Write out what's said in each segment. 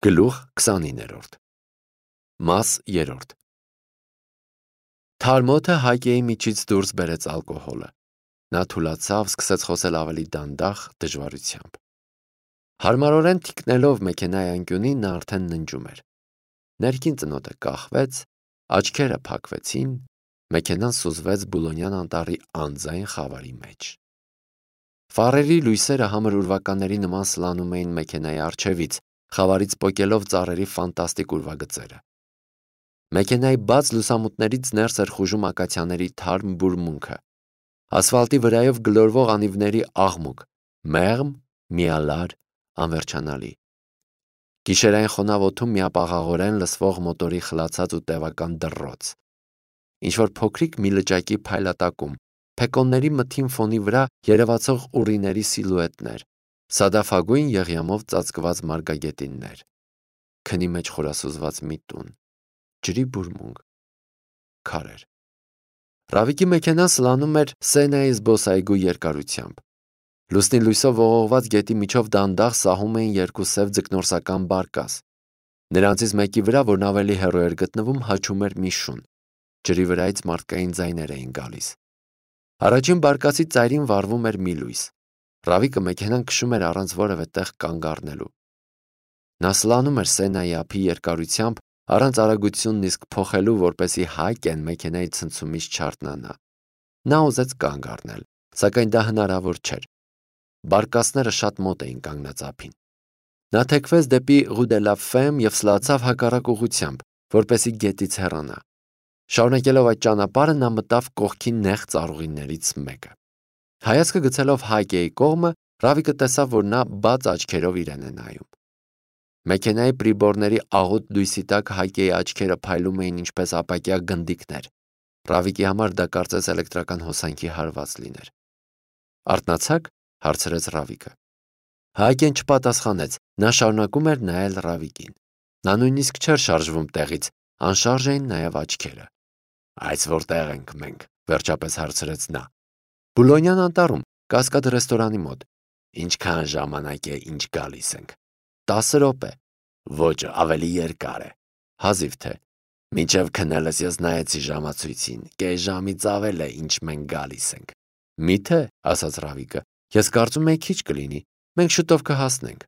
Գլուխ 29 Մաս 3 Թարմոթը Հայկեի միջից դուրս բերեց ալկոհոլը։ Նա թուլացավ, սկսեց խոսել ավելի դանդաղ, դժվարությամբ։ Հարմարորեն թիկնելով մեքենայի անկյունին նա արդեն ննջում էր։ Ներքին ծնոտը կախվեց, աչքերը փակվեցին, մեքենան սուզվեց Բուլոնյան անտառի անձայն խավարի մեջ։ Ֆարերի լույսերը համր ուրվականների նման սլանում էին մեքենայի առջևից, խավարից պոկելով ծառերի ֆանտաստիկ ուրվագծերը։ Մեքենայի բաց լուսամուտներից ներս էր խուժում ակացիաների թարմ բուրմունքը, ասֆալտի վրայով գլորվող անիվների աղմուկ, մեղմ, միալար, անվերջանալի։ Գիշերային խոնավ օդում միապաղաղորեն լսվող մոտորի խլացած ու տևական դռռոց։ Ինչ-որ փոքրիկ մի լճակի փայլատակում, փեկոնների մթին ֆոնի վրա երևացող ուռիների սիլուետներ, սադաֆագույն եղյամով ծածկված մարգագետիններ, քնի մեջ խորասուզված մի տուն, ջրի բուրմունք, քարեր։ Ռավիկի մեքենան սլանում էր Սենայի զբոսայգու երկարությամբ։ Լուսնի լույսով ողողված գետի միջով դանդաղ սահում էին երկու սև ձկնորսական բարկաս։ Նրանցից մեկի վրա, որն ավելի հեռու էր գտնվում, հաչում էր մի շուն։ Ջրի վրայից մարդկային ձայներ էին գալիս։ Առաջին բարկասի ծայրին վառվում էր մի լույս։ Ռավիկը մեքենան քշում էր առանց որևէ տեղ կանգ առնելու։ Նա սլանում էր Սենայի ափի երկարությամբ, առանց արագությունն իսկ փոխելու, որպեսզի Հայկեն մեքենայի ցնցումից չարթնանա։ Նա ուզեց կանգ առնել, սակայն դա հնարավոր չէր։ Բարկասները շատ մոտ էին կանգնած ափին։ Նա թեքվեց դեպի Rue de la Femme և սլացավ հակառակ ուղղությամբ, որպեսզի գետից հեռանա։ Շարունակելով այդ ճանապարհը նա մտավ կողքի նեղ ծառուղիներից մեկը։ Հայացքը գցելով Հայկեի կողմը, Ռավիկը տեսավ, որ նա բաց աչքերով իրեն է նայում։ Մեքենայի պրիբորների աղոտ լույսի տակ Հայկեի աչքերը փայլում էին ինչպես ապակյա գնդիկներ։ Ռավիկի համար դա կարծես էլեկտրական հոսանքի հարված լիներ։ «Արթնացա՞ք», հարցրեց Ռավիկը։ Հայկեն չպատասխանեց, նա շարունակում էր նայել Ռավիկին։ Նա նույնիսկ չէր շարժվում տեղից, անշարժ էին նաև աչքերը։ «Այս որտեղ ենք մենք», վերջապես հարցրեց նա։ «Բուլոնյան անտառում, Կասկադ ռեստորանի մոտ»։ «Ինչքան ժամանակ է, ինչ գալիս ենք»։ 10 րոպե։ «Ոչ, ավելի երկար է»։ «Հազիվ թե»։ «Մինչև քնելս ես նայեցի ժամացույցին, կես ժամից ավել է, ինչ մենք գալիս ենք»։ «Մի՞թե», ասաց Ռավիկը, «ես կարծում էի քիչ կլինի, մենք շուտով կհասնենք»։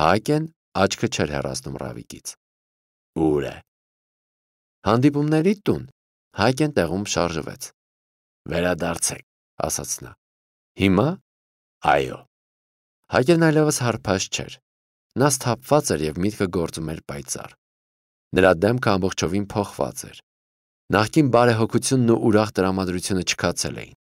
Հայկեն աչքը չէր հեռացնում Ռավիկից։ «Ուր է»։ «Հանդիպումների տուն»։ Հայկեն տեղում շարժվեց։ «Վերադարձեք», ասաց նա։ «Հիմա»։ «Այո»։ Հայկերն այլևս հարբած չէր։ Նա սթափված էր և միտքը գործում էր պայծառ։ Նրա դեմքը ամբողջովին փոխված էր։ Նախկին բարեհոգությունն ու ուրախ տրամադրությունը չքացել էին։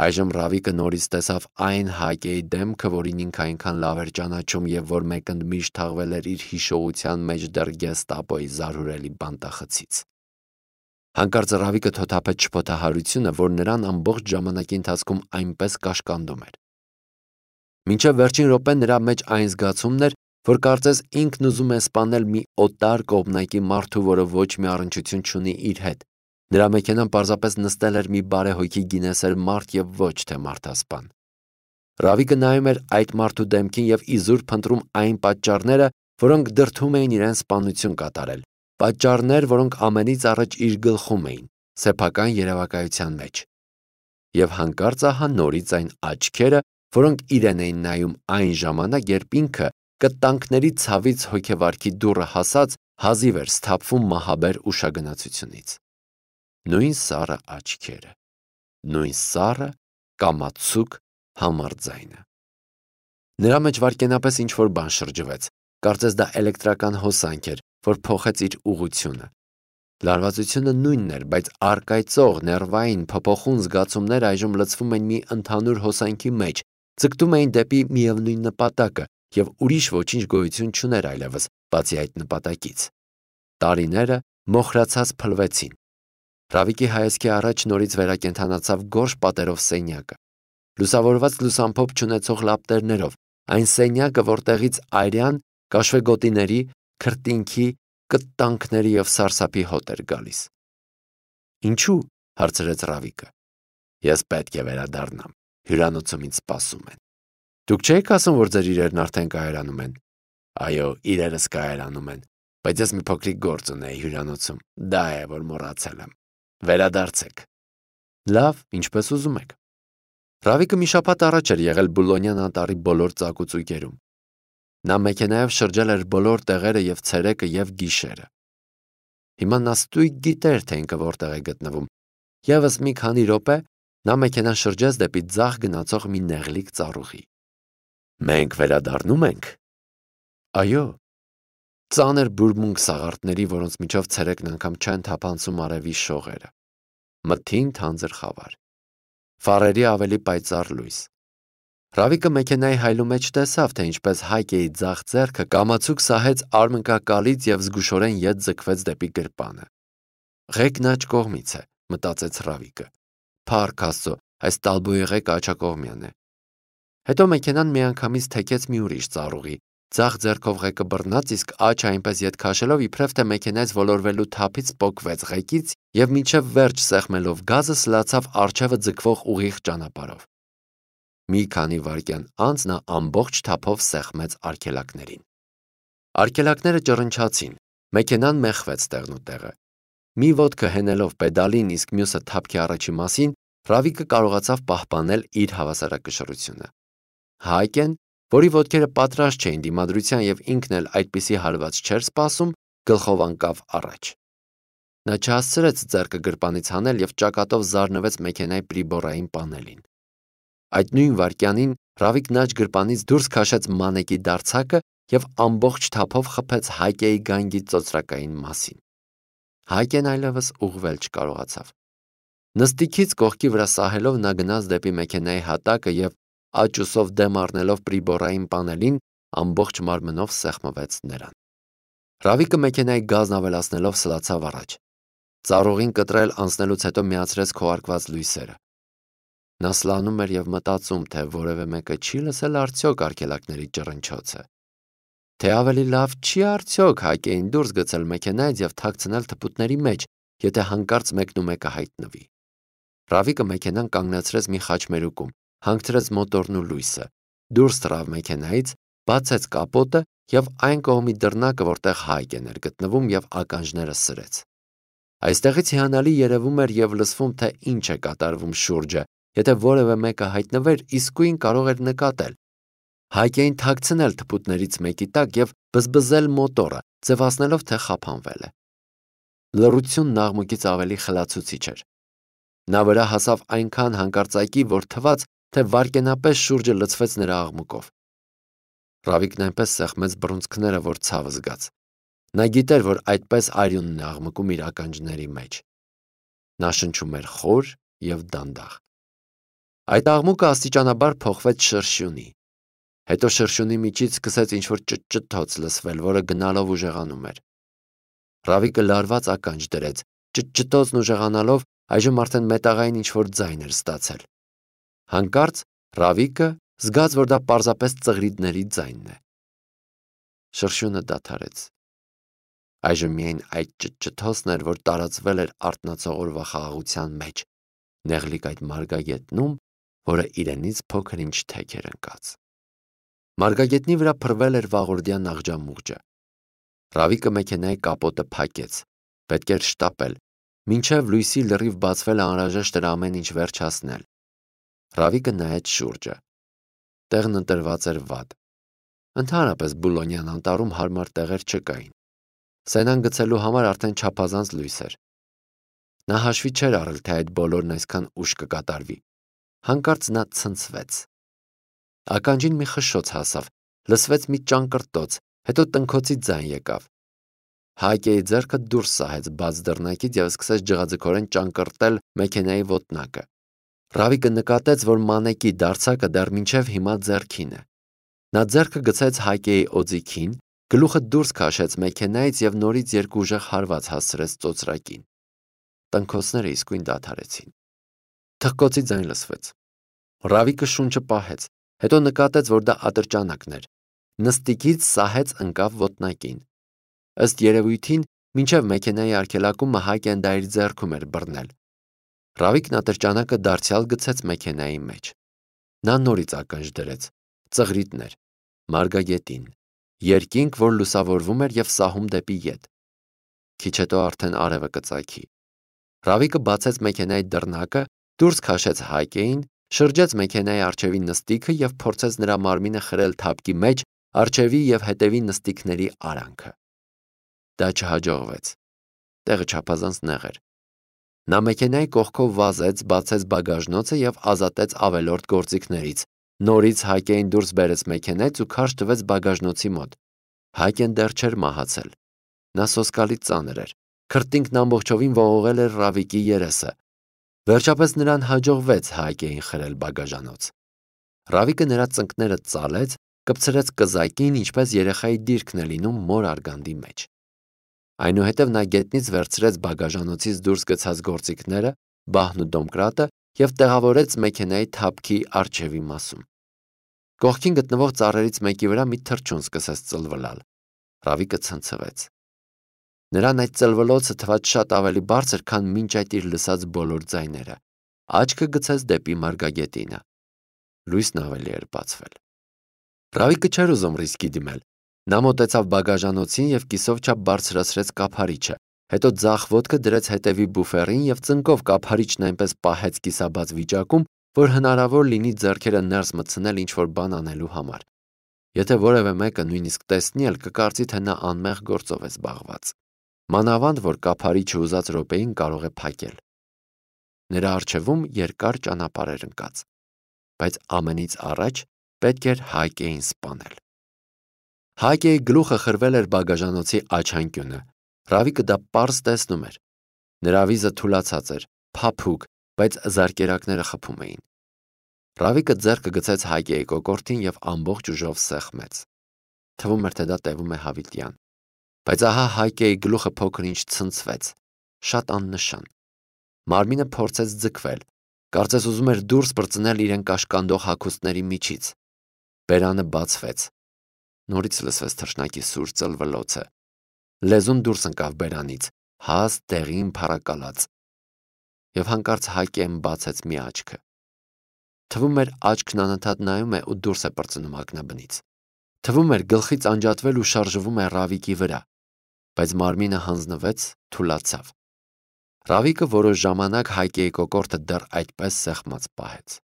Այժմ Ռավիկը նորից տեսավ այն Հայկեի դեմքը, որին ինքը այնքան լավ էր ճանաչում և որ մեկընդմիշտ թաղվել էր իր հիշողության մեջ դեռ գեստապոյի զարհուրելի բանտախցից։ Հանկարծ Ռավիկը թոթափեց շփոթահարությունը, որ նրան ամբողջ ժամանակի ընթացքում այնպես կաշկանդում էր։ Մինչև վերջին րոպեն նրա մեջ այն զգացումն էր, որ կարծես ինքն ուզում է սպանել մի օտար կողմնակի մարդու, որը ոչ մի առնչություն չունի իր հետ։ Նրա մեքենան պարզապես նստել էր մի բարեհոգի գինեսեր մարդ և ոչ թե մարդասպան։ Ռավիկը նայում էր այդ մարդու դեմքին և իզուր փնտրում այն պատճառները, որոնք դրդում էին իրեն սպանություն կատարել, պատճառներ, որոնք ամենից առաջ իր գլխում էին, սեփական երևակայության մեջ։ Եվ հանկարծ ահա նորից այն աչքերը, որոնք իրեն էին նայում այն ժամանակ, երբ ինքը կտանքների ցավից հոգեվարքի դուռը հասած հազիվ էր սթափվում մահաբեր ուշագնացությունից։ Նույն սառը աչքերը, նույն սառը կամացուկ համառ ձայնը։ Նրա մեջ վայրկենապես ինչ-որ բան շրջվեց, կարծես դա էլեկտրական հոսանք էր, որ փոխեց իր ուղղությունը։ Լարվածությունը նույնն էր, բայց առկայծող, ներվային, փոփոխուն զգացումները այժմ լցվում են մի ընդհանուր հոսանքի մեջ, ձգտում էին դեպի միևնույն նպատակը, և ուրիշ ոչինչ գոյություն չուներ այլևս, բացի այդ նպատակից։ Տարիները մոխրացած փլվեցին։ Ռավիկի հայացքի առաջ նորից վերակենդանացավ գորշ պատերով սենյակը, լուսավորված լուսամփոփ չունեցող լապտերներով, այն սենյակը, որտեղից այրյան, կաշվեգոտիների, քրտինքի, կտանքների և սարսափի հոտ էր գալիս։ «Ինչու՞», հարցրեց Ռավիկը։ «Ես պետք է վերադառնամ, հյուրանոցում ինձ սպասում են»։ «Դուք չէիք ասում, որ ձեր իրերն արդեն կայարանում են»։ Այո, իրերս կայարանում են, բայց ես մի փոքրիկ գործ ունեի հյուրանոցում, դա է, որ մոռացել եմ։ Վերադարձեք։ Լավ, ինչպես ուզում եք։ Ռավիկը մի շաբաթ առաջ էր եղել Բուլոնյան անտառի բոլոր ծակուցույկերում։ Նա մեքենայով շրջել էր բոլոր տեղերը եւ ցերեկը եւ գիշերը։ Հիմա նա ստույգ գիտեր, թե ինքը որտեղ է գտնվում։ Եվս մի քանի րոպե նա մեքենան շրջեց դեպի ձախ գնացող մի նեղլիկ ծառուղի։ Մենք վերադառնում ենք։ Այո։ Ծանր բուրմունք սաղարթների, որոնց միջով ցերեկն անգամ չեն թափանցում արևի շողերը։ Մթին թանձր խավար։ Ֆարերի ավելի պայծառ լույս։ Ռավիկը մեքենայի հայլու մեջ տեսավ, թե ինչպես Հայկեի ձախ ձեռքը կամացուկ սահեց արմնկակալից եւ զգուշորեն ետ ձգվեց դեպի գրպանը։ Ղեկն աջ կողմից է, մտածեց Ռավիկը։ Փառք Աստծո, այս տալբոյի ղեկը աջակողմյան է։ Հետո մեքենան միանգամից թեքեց մի ուրիշ ծառուղի։ Ձախ ձեռքով ղեկը բռնած, իսկ աջ այնպես ետ քաշելով իբրև թե մեքենայից ոլորվելու թափից պոկվեց ղեկից եւ մինչեւ վերջ սեղմելով գազը սլացավ առջևը ձգվող ուղիղ ճանապարհով։ Մի քանի վայրկյան անց նա ամբողջ թափով սեղմեց արգելակներին։ Արգելակները ճռնչացին, մեքենան մեխվեց տեղնուտեղը։ Մի ոտքը հենելով պեդալին, իսկ մյուսը թափքի առաջի մասին, Ռավիկը կարողացավ պահպանել իր հավասարակշռությունը։ Հայկեն, որի ոտքերը պատրաստ չէին դիմադրության եւ ինքն էլ այդպիսի հարված չէր սպասում, գլխով անկավ առաջ։ Նա չհասցրեց ձեռքը գրպանից հանել եւ ճակատով զարնվեց մեքենայի պրիբորային պանելին։ Այդ նույն վայրկյանին Ռավիկն աջ գրպանից դուրս քաշեց մանեկի դարձակը եւ ամբողջ թափով խփեց Հայկեի գանգի ծոծրակային մասին։ Հայկեն այլևս ուղղվել չկարողացավ։ Նստիքից կողքի վրա սահելով նա գնաց դեպի մեքենայի հատակը եւ աճուսով դեմ առնելով պրիբորային պանելին ամբողջ մարմնով սեղմվեց նրան։ Ռավիկը մեքենայի գազն ավելացնելով սլացավ առաջ։ Ծառուղին կտրել անցնելուց հետո միացրեց քողարկված լույսերը։ Նա սլանում էր եւ մտածում, թե որևէ մեկը չի լսել արդյոք արգելակների ճռնչոցը։ Թե ավելի լավ չի արդյոք Հայկեին դուրս գցել մեքենայից եւ թաքցնել թփուտների մեջ, եթե հանկարծ մեկնումեկը հայտնվի։ Ռավիկը մեքենան կանգնեցրեց մի խաչմերուկում, հանգցրեց մոտորն ու լույսը, դուրս թռավ մեքենայից, բացեց կապոտը եւ այն կողմի դռնակը, որտեղ Հայկեն էր գտնվում եւ ականջները սրեց։ Այստեղից հիանալի երևում էր եւ լսվում, թե ինչ է կատարվում շուրջը, եթե որևէ մեկը հայտնվեր, իսկույն կարող էր նկատել։ Հայկեին թաքցնել թփուտներից մեկի տակ եւ բզբզել մոտորը, ձևացնելով, թե խափանվել է։ Լռությունն աղմուկից ավելի խլացուցիչ էր։ Նա վրա հասավ այնքան հանկարծակի, որ թվաց, թե վայրկենապես շուրջը լցվեց նրա աղմուկով։ Ռավիկն այնպես սեղմեց բռունցքները, որ ցավ զգաց։ Նա գիտեր, որ այդպես արյունն է աղմկում իր ականջների մեջ։ Նա շնչում էր խոր եւ դանդաղ։ Այդ աղմուկը աստիճանաբար փոխվեց շրշյունի։ Հետո շրշյունի միջից սկսեց ինչ-որ ճտճտոց լսվել, որը գնալով ուժեղանում էր։ Ռավիկը լարված ականջ դրեց, ճտճտոցն ուժեղանալով այժմ արդեն մետաղային ինչ-որ ձայն էր ստացել։ Հանկարծ Ռավիկը զգաց, որ դա պարզապես ծղրիդների ձայնն է։ Շրշյունը դադարեց։ Այժմ միայն այդ ճտճտոցն էր, որ տարածվել էր արթնացողորվա խաղաղության մեջ, նեղլիկ այդ մարգագետնում, որը իրենից փոքր ինչ թեք էր ընկած։ Մարգագետնի վրա փռվել էր վաղորդյան աղջամուղջը։ Ռավիկը մեքենայի կապոտը փակեց։ Պետք էր շտապել, մինչև լույսի լրիվ բացվելը անհրաժեշտ էր ամեն ինչ վերջացնել։ Ռավիկը նայեց շուրջը։ Տեղն ընտրված էր վատ։ Ընդհանրապես Բուլոնյան անտառում հարմար տեղեր չկային։ Սենան գցելու համար արդեն չափազանց լույս էր։ Նա հաշվի չէր առել, թե այդ բոլորն այսքան ուշ կկատարվի։ Հանկարծ նա ցնցվեց։ Ականջին մի խշշոց հասավ, լսվեց մի ճանկռտոց, հետո տնքոցի ձայն եկավ։ Հայկեի ձեռքը դուրս սահեց բաց դռնակից եւ սկսեց ջղաձգորեն ճանկռտել մեքենայի ոտնակը։ Ռավիկը նկատեց, որ մանեկի դարձակը դեռ մինչև հիմա ձեռքին է։ Նա ձեռքը գցեց Հայկեի օձիքին, գլուխը դուրս քաշեց մեքենայից եւ նորից երկու ուժեղ հարված հասցրեց ծոծրակին։ Տնքոցները իսկույն դադարեցին։ Թխկոցի ձայն լսվեց։ Ռավիկը շունչը պահեց, հետո նկատեց, որ դա ատրճանակն էր։ Նստիկից սահեց ընկավ ոտնակին։ Ըստ երևույթին, մինչև մեքենայի արգելակումը Հայկեն դա իր ձեռքում էր բռնել։ Ռավիկն ատրճանակը դարձյալ գցեց մեքենայի մեջ։ Նա նորից ականջ դրեց։ Ծղրիդներ, մարգագետին երկինք, որ լուսավորվում էր և սահում դեպի ետ։ Քիչ հետո արդեն արևը կծագի։ Ռավիկը բացեց մեքենայի դռնակը, դուրս քաշեց Հայկեին, շրջեց մեքենայի առջևի նստիքը և փորձեց նրա մարմինը խրել թափքի մեջ առջևի և հետևի նստիքների արանքը։ Դա չհաջողվեց։ Տեղը չափազանց նեղ էր։ Նա մեքենայի կողքով վազեց, բացեց բագաժնոցը և ազատեց ավելորդ գործիքներից։ Նորից Հայկեին դուրս բերեց մեքենայից ու քարշ տվեց բագաժնոցի մոտ։ Հայկեն դեռ չէր մահացել։ Նա սոսկալի ծանր էր։ Քրտինքն ամբողջովին ողողել էր Ռավիկի երեսը։ Վերջապես նրան հաջողվեց Հայկեին խրել բագաժանոց։ Ռավիկը նրա ծնկները ծալեց, կպցրեց կզակին, ինչպես երեխայի դիրքն է լինում մոր արգանդի մեջ։ Այնուհետև նա գետնից վերցրեց բագաժանոցից դուրս գցած գործիքները, բահն ու դոմկրատը և տեղավորեց մեքենայի թափքի առջևի մասում։ Կողքին գտնվող ծառերից մեկի վրա մի թռչուն սկսեց ծլվլալ։ Ռավիկը ցնցվեց։ Նրան այդ ծլվլոցը թվաց շատ ավելի բարձր, քան մինչ այդ իր լսած բոլոր ձայները։ Աչքը գցեց դեպի մարգագետինը։ Լույսն ավելի էր բացվել։ Ռավիկը չէր ուզում ռիսկի դիմել։ Նա մոտեցավ բագաժանոցին և կիսով չափ բարձրացրեց կափարիչը, հետո ձախ ոտքը դրեց հետևի բուֆերին և ծնկով կափարիչն այնպես պահեց կիսաբաց վիճակում, որ հնարավոր լինի ձեռքերը ներս մտցնել ինչ-որ բան անելու համար։ Եթե որևէ մեկը նույնիսկ տեսնի էլ, կկարծի, թե նա անմեղ գործով է զբաղված։ Մանավանդ, որ կափարիչը ուզած րոպեին կարող է փակել։ Նրա առջևում երկար ճանապարհ էր ընկած, բայց ամենից առաջ պետք էր Հայկեին սպանել։ Հայկեի գլուխը խրվել էր բագաժանոցի աչանկյունը։ Ռավիկը դա պարզ տեսնում էր։ Նրա վիզը թուլացած էր, փափուկ, բայց զարկերակները խփում էին։ Ռավիկը ձեռքը գցեց Հայկեի կոկորդին և ամբողջ ուժով սեղմեց։ Թվում էր, թե դա տևում է հավիտյան։ Բայց ահա Հայկեի գլուխը փոքր-ինչ ցնցվեց, շատ աննշան։ Մարմինը փորձեց ձգվել, կարծես ուզում էր դուրս պրծնել իրեն կաշկանդող հագուստների միջից։ Բերանը բացվեց։ Նորից լսվեց թռչնակի սուր ծլվլոցը։ Լեզուն դուրս ընկավ բերանից, հաստ դեղին փառակալած։ Եվ հանկարծ Հայկեն բացեց մի աչքը։ Թվում էր աչքն անընդհատ նայում է ու դուրս է պրծնում ակնաբնից։ Թվում էր գլխից անջատվել ու շարժվում է Ռավիկի վրա, բայց մարմինը հանձնվեց, թուլացավ։ Ռավիկը որոշ ժամանակ Հայկեի կոկորդը դեռ այդպես սեղմած պահեց։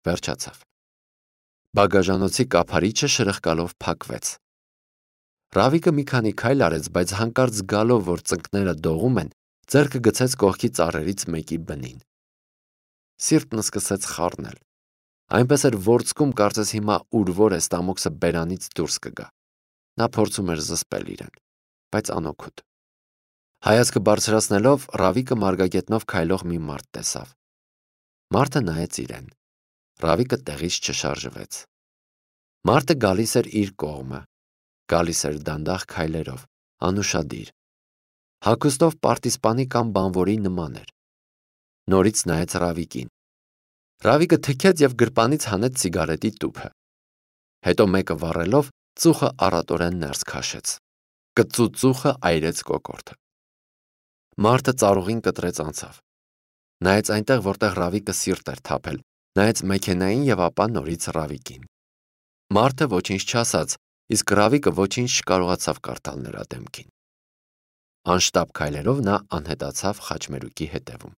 Վերջացավ։ Բագաժանոցի կափարիչը շրխկալով փակվեց։ Ռավիկը մի քանի քայլ արեց, բայց հանկարծ զգալով, որ ծնկները դողում են, ձեռքը գցեց կողքի ծառերից մեկի բնին։ Սիրտն սկսեց խառնել։ Այնպես էր ворցքում, կարծես հիմա ուրվոր է ստամոքսը բերանից դուրս կգա։ Նա փորձում էր զսպել իրեն, բայց անօգուտ։ Հայացքը բարձրացնելով, Ռավիկը մարգագետնով քայլող մի մարդ տեսավ։ Մարդը նայեց իրեն։ Ռավիկը տեղից չշարժվեց։ Մարդը գալիս էր իր կողմը, գալիս էր դանդաղ քայլերով, անուշադիր։ Հագուստով պարտիզպանի կամ բանվորի նման էր։ Նորից նայեց Ռավիկին։ Ռավիկը թքեց և գրպանից հանեց սիգարետի տուփը։ Հետո մեկը վառելով, ծուխը առատորեն ներս քաշեց։ Կծու ծուխը այրեց կոկորդը։ Մարդը ծառուղին կտրեց անցավ։ Նայեց այնտեղ, որտեղ Ռավիկը սիրտ էր թափել, նայեց մեքենային և ապա նորից Ռավիկին։ Մարդը ոչինչ չասաց, իսկ Ռավիկը ոչինչ չկարողացավ կարդալ նրա դեմքին։ Անշտապ քայլերով նա անհետացավ խաչմերուկի հետևում։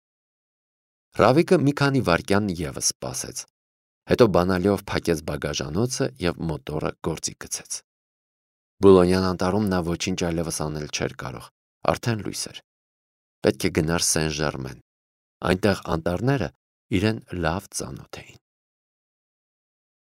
Ռավիկը մի քանի վայրկյան ևս սպասեց, հետո բանալիով փակեց բագաժանոցը և մոտորը գործի գցեց։ Բուլոնյան անտառում նա ոչինչ այլևս անել չէր կարող, արդեն լույս էր։ Պետք է գնար Սեն Ժերմեն։ Այնտեղ անտառները իրեն լավ ծանոթ էին։